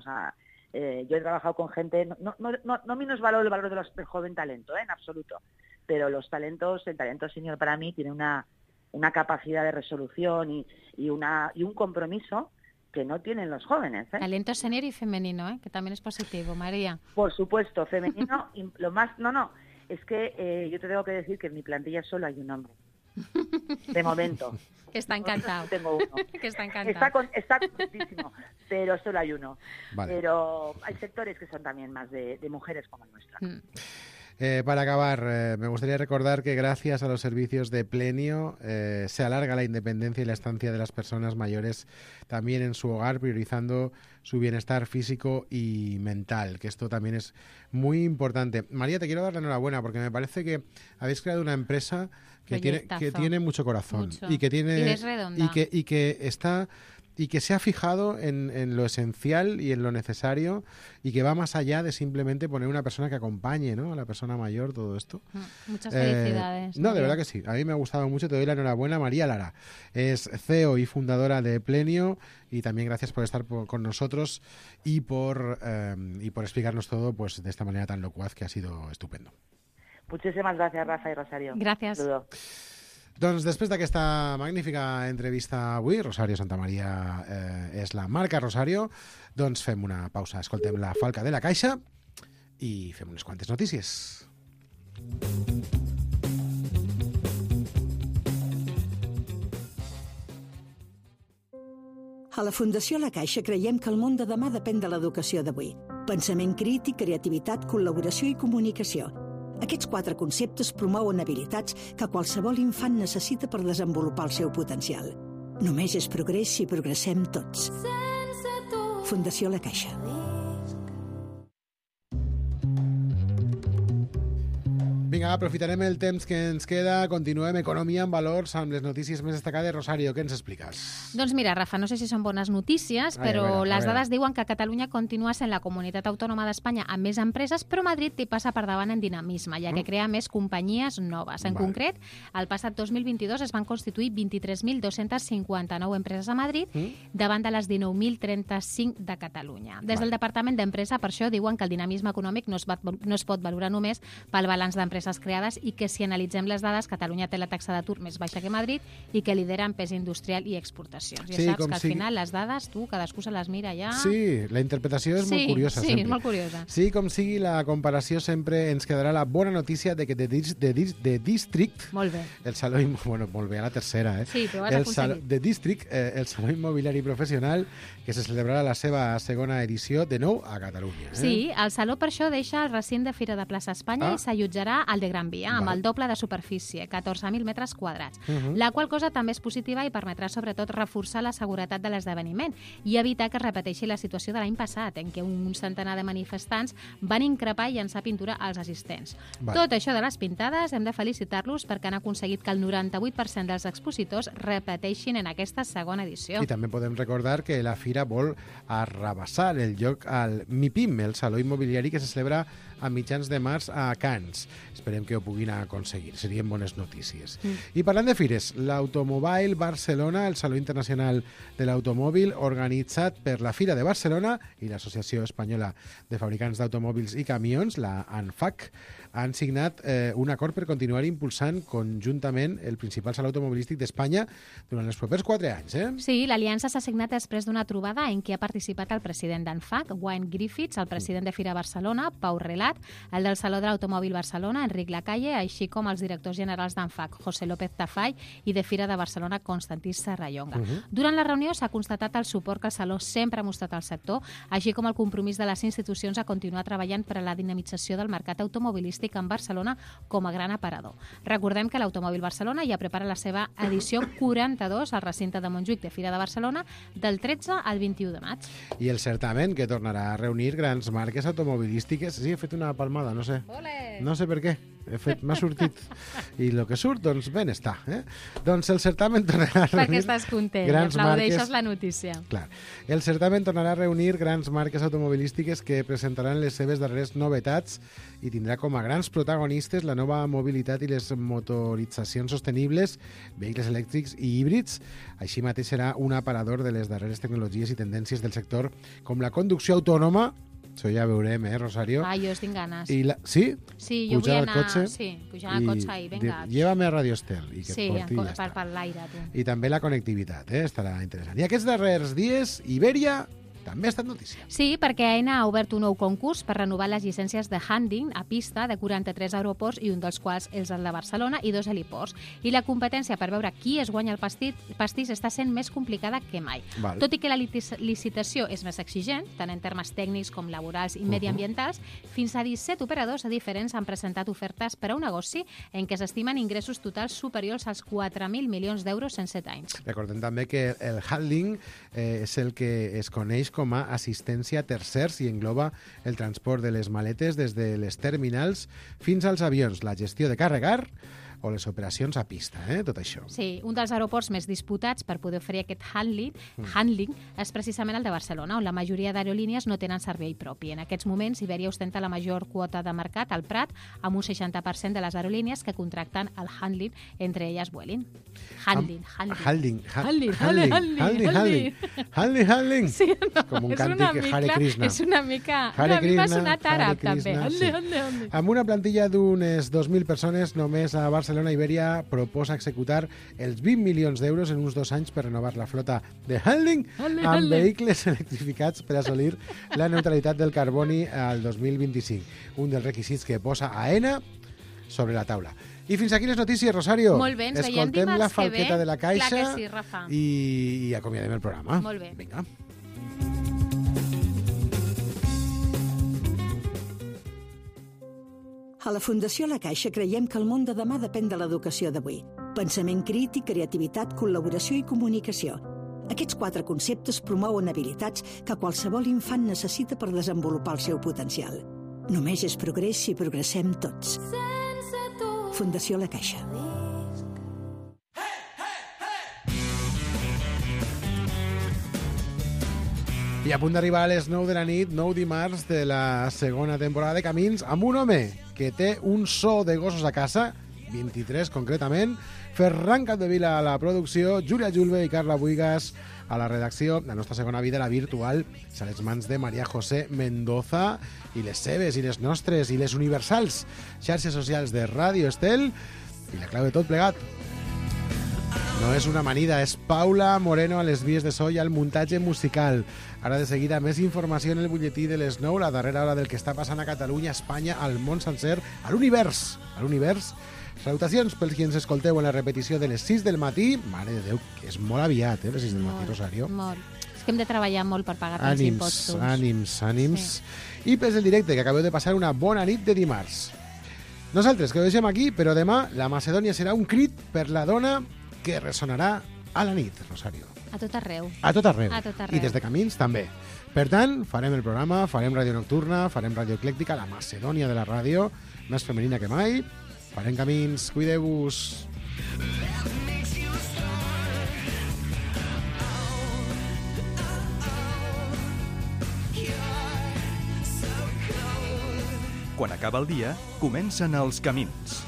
M: sea, yo he trabajado con gente, no menosvaloro el valor del joven talento, en absoluto, pero el talento senior para mí tiene una capacidad de resolución y un compromiso que no tienen los jóvenes.
J: Talento senior y femenino, que también es positivo, María.
M: Por supuesto, femenino. Y lo más, es que yo te tengo que decir que en mi plantilla solo hay un hombre. De momento.
J: Que está encantado.
M: Tengo uno.
J: Que está encantado.
M: Está contentísimo, pero solo hay uno.
B: Vale.
M: Pero hay sectores que son también más de mujeres como el nuestro.
B: Para acabar, me gustaría recordar que gracias a los servicios de Plenio se alarga la independencia y la estancia de las personas mayores también en su hogar, priorizando su bienestar físico y mental, que esto también es muy importante. María, te quiero dar la enhorabuena porque me parece que habéis creado una empresa que tiene mucho corazón y que tiene y que está y que se ha fijado en lo esencial y en lo necesario y que va más allá de simplemente poner una persona que acompañe, ¿no?, a la persona mayor, todo esto.
J: Muchas felicidades.
B: No, de verdad que sí. A mí me ha gustado mucho. Te doy la enhorabuena. María Lara es CEO y fundadora de Plenio, y también gracias por estar con nosotros y por explicarnos todo pues de esta manera tan locuaz, que ha sido estupendo.
M: Muchísimas gracias, Rafa i Rosario.
J: Gracias.
M: Saludo.
B: Doncs després d'aquesta magnífica entrevista avui, Rosario Santamaría és la marca Rosario, doncs fem una pausa, escoltem la Falca de la Caixa i fem unes quantes notícies.
L: A la Fundació La Caixa creiem que el món de demà depèn de l'educació d'avui. Pensament crític, creativitat, col·laboració i comunicació. Aquests 4 conceptes promouen habilitats que qualsevol infant necessita per desenvolupar el seu potencial. Només és progrés si progressem tots. Fundació La Caixa.
B: Vinga, aprofitarem el temps que ens queda, continuem Economia en Valors amb les notícies més destacades. Rosario, què ens expliques?
J: Doncs mira, Rafa, no sé si són bones notícies, però les dades diuen que Catalunya continua sent la comunitat autònoma d'Espanya amb més empreses, però Madrid hi passa per davant en dinamisme, ja que crea més companyies noves. En concret, el passat 2022 es van constituir 23.259 empreses a Madrid davant de les 19.035 de Catalunya. Des del Departament d'Empresa, per això, diuen que el dinamisme econòmic no es pot valorar només pel balanç d'empreses creades i que si analitzem les dades, Catalunya té la taxa d'atur més baixa que Madrid i que lidera en pes industrial i exportacions. Ja saps que al final les dades, cadascú se les mira ja...
B: Sí, la interpretació és molt curiosa.
J: Sí, és molt curiosa.
B: Sí, com sigui, la comparació sempre ens quedarà la bona notícia de que The District...
J: Molt bé.
B: El saló... Bueno, molt bé, a la tercera, eh?
J: Sí, però has aconseguit.
B: The District, el saló immobiliari professional, que se celebrarà la seva segona edició de nou a Catalunya.
J: Sí, el saló per això deixa el recinte de Fira de Plaça Espanya i s'allotjarà al de Gran Via, amb el doble de superfície, 14.000 metres quadrats, la qual cosa també és positiva i permetrà sobretot reforçar la seguretat de l'esdeveniment i evitar que es repeteixi la situació de l'any passat, en què un centenar de manifestants van increpar i llançar pintura als assistents. Tot això de les pintades hem de felicitar-los perquè han aconseguit que el 98% dels expositors repeteixin en aquesta segona edició.
B: I també podem recordar que la Fira vol arrabassar el lloc al MIPIM, el saló immobiliari que se celebra a mitjans de març a Cannes. Esperem que ho puguin aconseguir. Serien bones notícies. I parlant de fires, l'Automobile Barcelona, el Saló Internacional de l'Automòbil, organitzat per la Fira de Barcelona i l'Associació Espanyola de Fabricants d'Automòbils i Camions, la ANFAC, han signat un acord per continuar impulsant conjuntament el principal saló automobilístic d'Espanya durant els propers 4 anys.
J: Sí, l'aliança s'ha signat després d'una trobada en què ha participat el president d'ANFAC, Wayne Griffiths, el president de Fira Barcelona, Pau Relat, el del Saló de l'Automòbil Barcelona, Enric Lacalle, així com els directors generals d'ANFAC, José López Tafall, i de Fira de Barcelona, Constantí Serrallonga. Durant la reunió s'ha constatat el suport que el Saló sempre ha mostrat al sector, així com el compromís de les institucions a continuar treballant per a la dinamització del mercat automobilístic en Barcelona com a gran aparador. Recordem que l'Automòbil Barcelona ja prepara la seva edició 42 al recinte de Montjuïc de Fira de Barcelona del 13 al 21 de maig.
B: I el certamen que tornarà a reunir grans marques automobilístiques. Sí, he fet una palmada, no sé. No sé per què. M'ha sortit. I el que surt, doncs, ben està. Doncs el certamen tornarà a reunir...
J: Perquè estàs content, aplaudeixes la notícia.
B: Clar. El certamen tornarà a reunir grans marques automobilístiques que presentaran les seves darreres novetats i tindrà com a grans protagonistes la nova mobilitat i les motoritzacions sostenibles, vehicles elèctrics i híbrids. Així mateix serà un aparador de les darreres tecnologies i tendències del sector, com la conducció autònoma. Això ja veurem, Rosario?
J: Jo estic ganes.
B: Sí?
J: Sí, jo vull anar pujant al cotxe i vinga.
B: Llévame a Radio Estel. I que
J: sí,
B: per
J: l'aire, tu.
B: I també la connectivitat, estarà interessant. I aquests darrers dies, Iberia també ha estat notícia.
J: Sí, perquè Aena ha obert un nou concurs per renovar les llicències de handling a pista de 43 aeroports, i un dels quals és el de Barcelona, i 2 heliports. I la competència per veure qui es guanya el pastís està sent més complicada que mai. Tot i que la licitació és més exigent, tant en termes tècnics com laborals i mediambientals, fins a 17 operadors diferents han presentat ofertes per a un negoci en què s'estimen ingressos totals superiors als 4.000 milions d'euros en 7 anys.
B: Recordem també que el handling és el que es coneix com a assistència a tercers i engloba el transport de les maletes des de les terminals fins als avions, la gestió de carregar o les operacions a pista, tot això.
J: Sí, un dels aeroports més disputats per poder oferir aquest handling és precisament el de Barcelona, on la majoria d'aerolínies no tenen servei propi. En aquests moments, Iberia ostenta la major quota de mercat al Prat, amb un 60% de les aerolínies que contracten el handling, entre elles Vueling. Handling. Sí, no, com un càntic Hare Krishna. És una mica... m'ha sonat àrab, també.
B: Amb una plantilla d'unes 2.000 persones, només a Barcelona Iberia proposa executar els 20 milions d'euros en uns 2 anys per renovar la flota de handling amb vehicles electrificats per assolir la neutralitat del carboni al 2025. Un dels requisits que posa Aena sobre la taula. I fins aquí les notícies, Rosario.
J: Molt bé, ens veiem
B: escoltem la
J: dimarts
B: falqueta de la caixa.
J: Clar que sí, Rafa.
B: I acomiadem el programa.
J: Molt bé.
B: Vinga.
L: A la Fundació La Caixa creiem que el món de demà depèn de l'educació d'avui. Pensament crític, creativitat, col·laboració i comunicació. Aquests 4 conceptes promouen habilitats que qualsevol infant necessita per desenvolupar el seu potencial. Només és progrés si progressem tots.
F: Sense
L: Fundació La Caixa.
B: I a punt d'arribar a les 9 de la nit, 9 dimarts de la segona temporada de Camins, amb un home que té un so de gossos a casa, 23 concretament, Ferran Capdevila a la producció, Júlia Julve i Carla Buigas a la redacció. La nostra segona vida, la virtual, és a les mans de María José Mendoza i les seves, i les nostres, i les universals xarxes socials de Ràdio Estel. I la clau de tot plegat no és una amanida, és Paula Moreno a les vies de so i al muntatge musical. Ara de seguida més informació en el butlletí de les 9, la darrera hora del que està passant a Catalunya, a Espanya, al món sencer, a l'univers. A l'univers. Salutacions pels qui ens escolteu en la repetició de les 6 del matí. Mare de Déu, que és molt aviat, les 6 del matí, Rosario.
J: Molt. És que hem de treballar molt per pagar els impostos.
B: Ànims. Sí. I pels del directe, que acabeu de passar una bona nit de dimarts. Nosaltres, que ho deixem aquí, però demà la Macedònia serà un crit per la dona que ressonarà a la nit, Rosario.
J: A tot arreu.
B: A tot arreu.
J: A tot arreu.
B: I des de Camins també. Per tant, farem el programa, farem ràdio nocturna, farem ràdio eclèctica, la Macedònia de la ràdio, més femenina que mai. Farem Camins, cuideu-vos.
A: Quan acaba el dia, comencen els Camins.